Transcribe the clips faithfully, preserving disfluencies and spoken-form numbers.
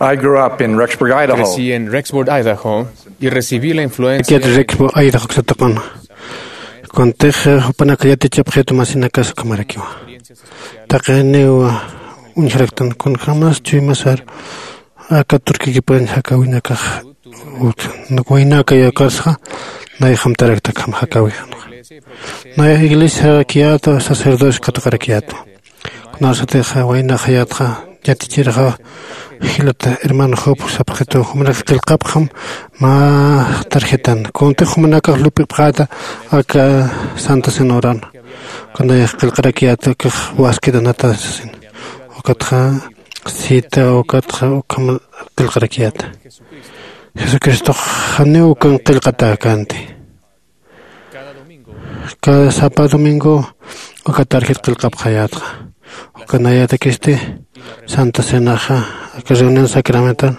I grew up in Rexburg, Idaho. Crecí en Rexburg, Idaho, y recibí la influencia Rexburg, Idaho ksataqan. Kuntix jupanak yatichapxitu masinakas ukhamarakiwa. Taqiniw uñjaraktan kunjämas chuymasar aka Turquiakipan jakäwinakax waynaka yakarsxa nayax amtarakta akham jakäwixanxa. Nayax iglesiarakiyätwa, sacerdocio katuqarakiyätwa. Kunasatix waynaxayätxa yatichirxa jilata hermano Job sapxitu jumanak qillqapxam mä tarjetan. Kuntix jumanakax lup'ipxäta aka Santa Cena uran. Kunayax qillqarakiyäta akax waskit anata sasin. Ukatxa cita ukatxa ukham qillqarakiyäta. Jesucristox janiw ukan qillqatäkänti. Cada sapa domingo uka tarjeta qillqapxayätxa. Uka nayatakisti Santa Cenaxa aka reunión sacramental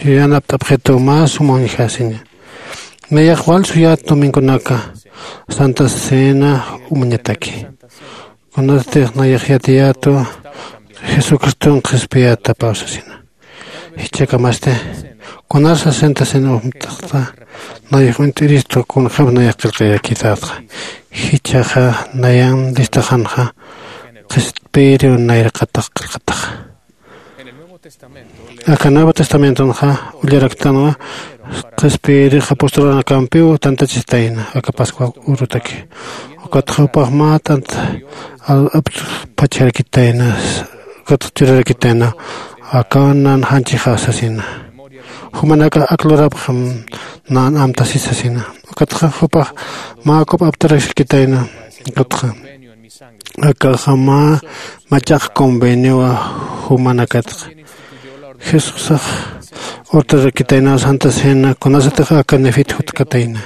yanapt'apxitu mä suma uñjasiña. Nayax wal suyät domingonaka Santa Cena umañataki. Kunatix nayax yatiyätwa Jesucriston qhispiyätapaw sasina. Jichhakamasti kunar sasenta sin umt'axta nayax uñt'iristu kunjäm nayax qillqayakitätxa. Jichhaxa nayan listaxanxa qhispiyiriw nayraqatax qillqataxa. Aka Nuevo Testamentonxa ullaraktanwa qhispiyirix apostolanakampiw tantachistayna aka Pascua urutaki. Ukatxa jupax mä t'ant aptpachjarakitayna. Ukatxa churarakitayna akaw nan janchixa sasina. Jumanakax ak lurapxam nan amtasi sasina. Ukatxa jupax mä akup aptaraskitayna. Ukatxa akaxa mä machaq conveniowa jumanakatxa. Jesusax urtarakitayna Santa Cena kunasatix aka Nefit jutkatayna.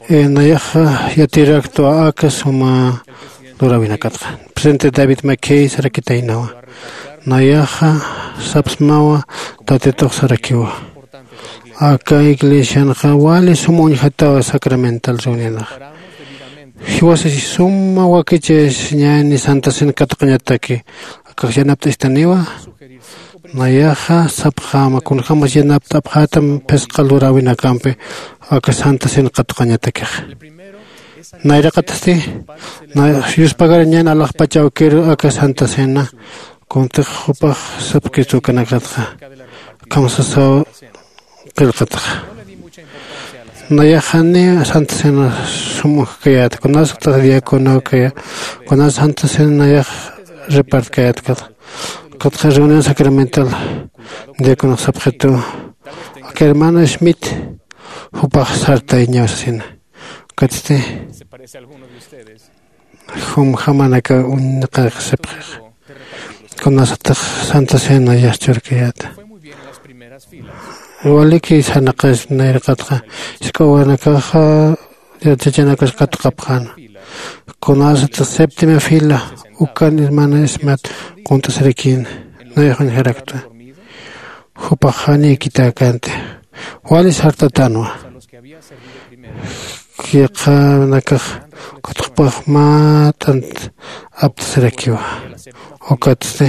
Nayaxa yatiraktwa aka suma luräwinakatxa. Presidente David McKay sarakitaynawa. Nayaxa sapsmawa Tatitux sarakiwa. Aka iglesianxa wali suma uñjatawa sacramental reunionax. Jiwasasi suma wakichasiñäni Santa Cena katuqañataki. Akax yanapt'istaniwa. Nayaxa sapxäma kunjämas yanapt'apxätam phisqa luräwinakampi aka Santa Cena katuqañatakixa. Nayraqatasti nayax yuspagarañän alaxpach awkiru aka Santa Cena. Kuntix jupax sapkistu ukanakatxa akham sasaw qillqataxa. Nayax janiw Santa Cena sum uñjkayät kunasatix diacono kaya kunas Santa Cena nayax repartkayät. Ukatxa reunión sacramental diaconox sapxitu aka hermano Smith jupax sartayñaw sasina. Ukatsti jumjamanaka uñnaqaxsipxix kunasatix Santa Cena yasturkayäta. Waliki sarnaqas nayraqatxa isk'awanakaxa yachachanakas katuqapxäna. Kunasatix séptima fila ukan hermana Smith qunt'asirakïna. Nayax uñjaraktwa. Jupax janiw ikitäkänti. Wali sartatanwa. Yaqhanakax ukatxa jupax mä t'ant aptasirakiwa. Ukatsti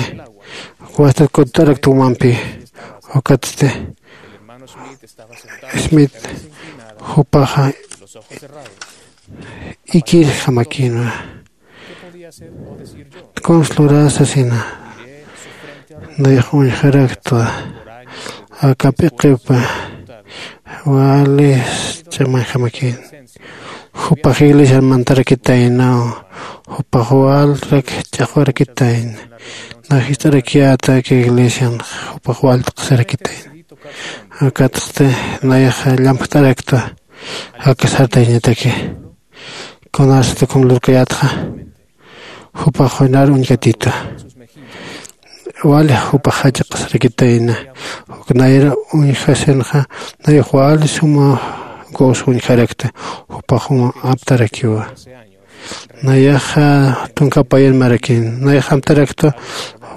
wastat kutt'arakta umampi. Ukatsti Smith jupaxa ikirjamakïnwa. Kunsa lurä sasina. Nayax uñjaraktwa aka p'iqipa wali ch'amañjamakïn. Jupax iglesiar mantarakitaynaw. Jupax walrak ch'axwarakitayna. Nax jist'arakiyäta aka iglesian jupax wal t'aqsirakitayna. Ukatsti nayax llampjt'araktwa aka sartayañataki. Kunasat ukham lurkayätxa jupax junar uñjatitwa. Wali jupax jach'aqasirakitayna. Uk nayra uñjasinxa nayax wali suma gozo uñjarakta. Jupax uma aptarakiwa. Nayaxa tunka payan marakin nayax amtaraktwa.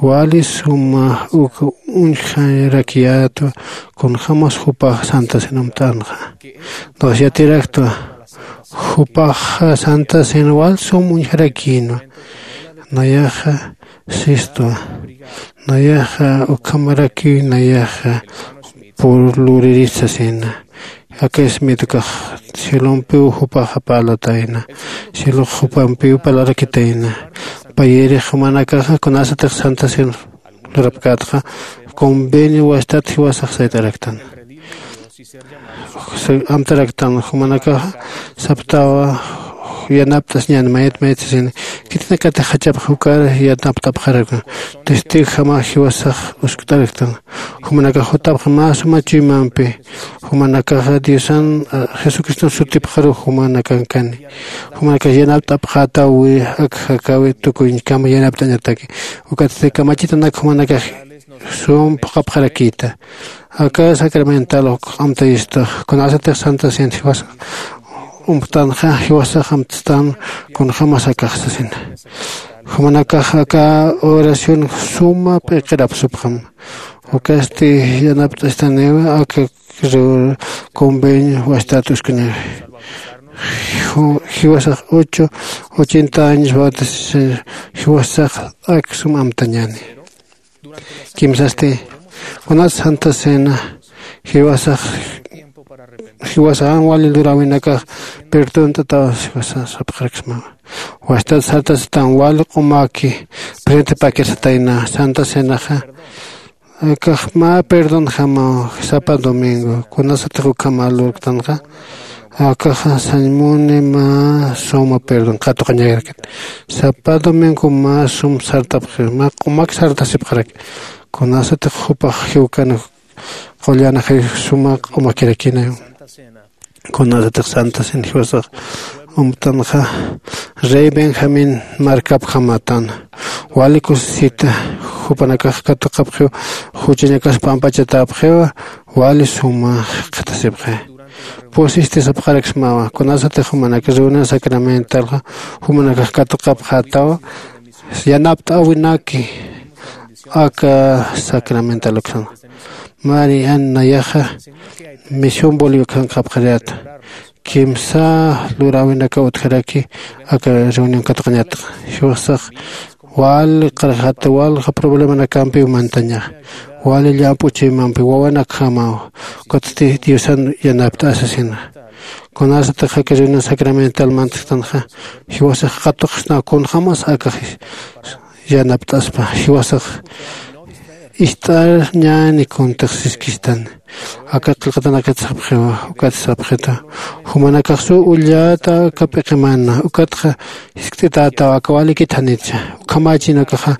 Wali suma uk uñjarakiyätwa kunjämas jupax Santa Cena amt'änxa. Nax yatiraktwa jupax Santa Cena wal sum uñjarakïnwa. Nayaxa sistwa. Nayaxa ukhamarakiw nayaxa purluririsasina. Aka ismitukax cielompiw jupaxa parlatayna. Cielox jupampiw parlarakitayna. Payirix jumanakaxa kunasatix santa cena lurapkätxa convenio wastat jiwasax sayt'araktan. Amtaraktan jumanakaxa saptawa yanapt'asñan mayat mayat sasina. Khitinakatix jachapxa jukar yanapt'apxaraktan. Testigojama jiwasax uskt'araktan. Jumanakax jutapxa mä suma chuymampi. Jumanakaxa diosan jesucriston sutipxaru jumanakankani. Jumanakax yanapt'apxätawi ak jakäwi tukuñkama yanapt'añataki. Ukatsti kamachitanak jumanakax sum phuqhapxarakïta. Aka sacramental amtayista kunasatix santa cena jiwasax umptanxa jiwasax amtstan kunjämas akax sasina. Jumanakax aka oración suma p'iqirapsupxam. Ukasti yanapt'astaniw aka convenio wastat uskuniw. Jiwasax ocho ochenta años bautizasir jiwasax ak sum amtañäni. Kimsasti kunas santa cena jiwasax jiwasax jan wali luräwinakax perdont'ataw jiwasax sapxaraksmawa. Wastat sartasatan wali q'umaki presentepakir satayna santa cenaxa. Akax mä perdonjamaw sapa domingo kunasatix ukhama lurktanxa. Akaxa sañmuni mä suma perdón qatuqañarakit. Sapa domingo mä sum sartapxi mä q'umak sartasipxaraki. Kunasatix jupax jiwkan qullan ajay suma q'umakirakinayu. Kunasatix santa cena jiwasax umptanxa rey benjamín markapjamätan. Wali kusisita jupanakax katuqapxiw juchañakas pampachatäpxiwa. Wali suma jikxatasipxi. Pusisti sapxaraksmawa kunasatix jumanakax reunión sacramentalxa jumanakax katuqapxätawa. Yanapt'äwinaki aka sacramental uksan. Mari an nayaxa misión bolivia khankxapxariyäta. Kimsa luräwinakaw utjaraki aka reunión katuqañatxa. Jiwasax wali qarjata walja problemanakampiw mantañaxa. Wali llamp'u chuymampi wawanakjamaw. Ukatsti diosan yanapt'asasina. Kunasatix aka reunión sacramental mantasktanxa jiwasax qatuqsnaw kunjämas akax yanapt'aspa. Jiwasax ist'arñäni kuntix siskistan. Aka qillqatanakat sapxiwa ukat sapxita. Jumanakaxsu ullata aka p'iqimana ukatxa jiskt'itätaw aka walikit janitsa. Ukhamächin ukaxa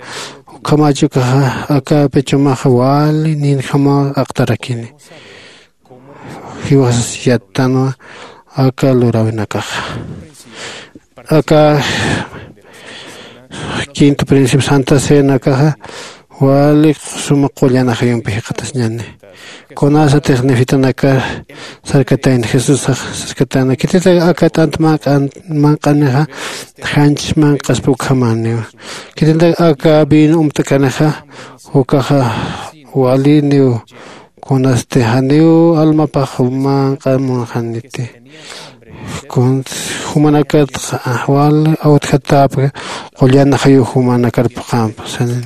ukhamächi ukaxa aka pichumaxa wali ninjamaw aqtarakini. Jiwasas yattanwa aka luräwinakaxa. Aka quinto principio santa cenakaxa wali suma qullan ajayumpi jikxatasñani. Kunasatix nefitanakar sarkatayna jesusax sarkatayna khititaka aka t'ant manq'anixa janchis manq'aspa ukhamäniwa. Khititaka aka vino umt'kanixa ukaxa waliniw kunasti janiw almapax manq'amunxaniti. Jumanakatxa wali awtjatäpki qullan ajayuw jumanakar phuqampa sanin.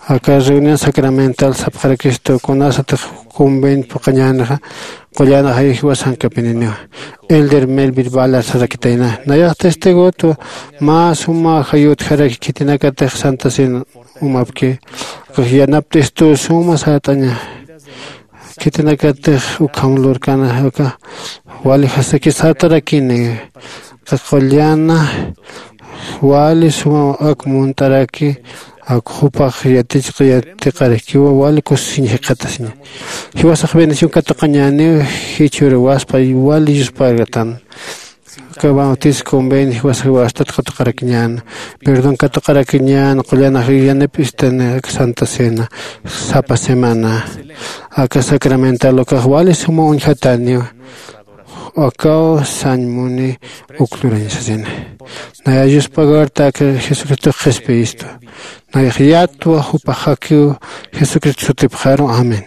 Aka reunión sacramental sapxarakistu kunasatix convenio phuqañänixa qullan ajayuw jiwasankapininiwa. Elder melvin ballard sarakitayna nayax testigotwa. Mä suma ajayuw utjaraki khitinakatix santa cena umapki akax yanapt'istu suma sart'aña. Khitinakatix ukham lurkana uka wali jasaki sartarakini. Qullana wali suma ak munt'araki ak jupax yatichqa yatiqarakiwa wali kusisiñ jikxatasiña. Jiwasax bendición katuqañäniw jichhüruwaspa wali yuspagatan. Aka bautisco convenio jiwasax wastat katuqarakiñäna perdón katuqarakiñäna qullan ajayuw yanapt'istani aka santa cena sapa semana. Aka sacramental ukax wali suma uñjatäniwa. Akaw sañ muni uk lurañ sasina. Naya yusp'agarta aka jesucristox qhispiyistwa. Nayax yatwa jupax jakiw jesucristo sutipxaru. Amén.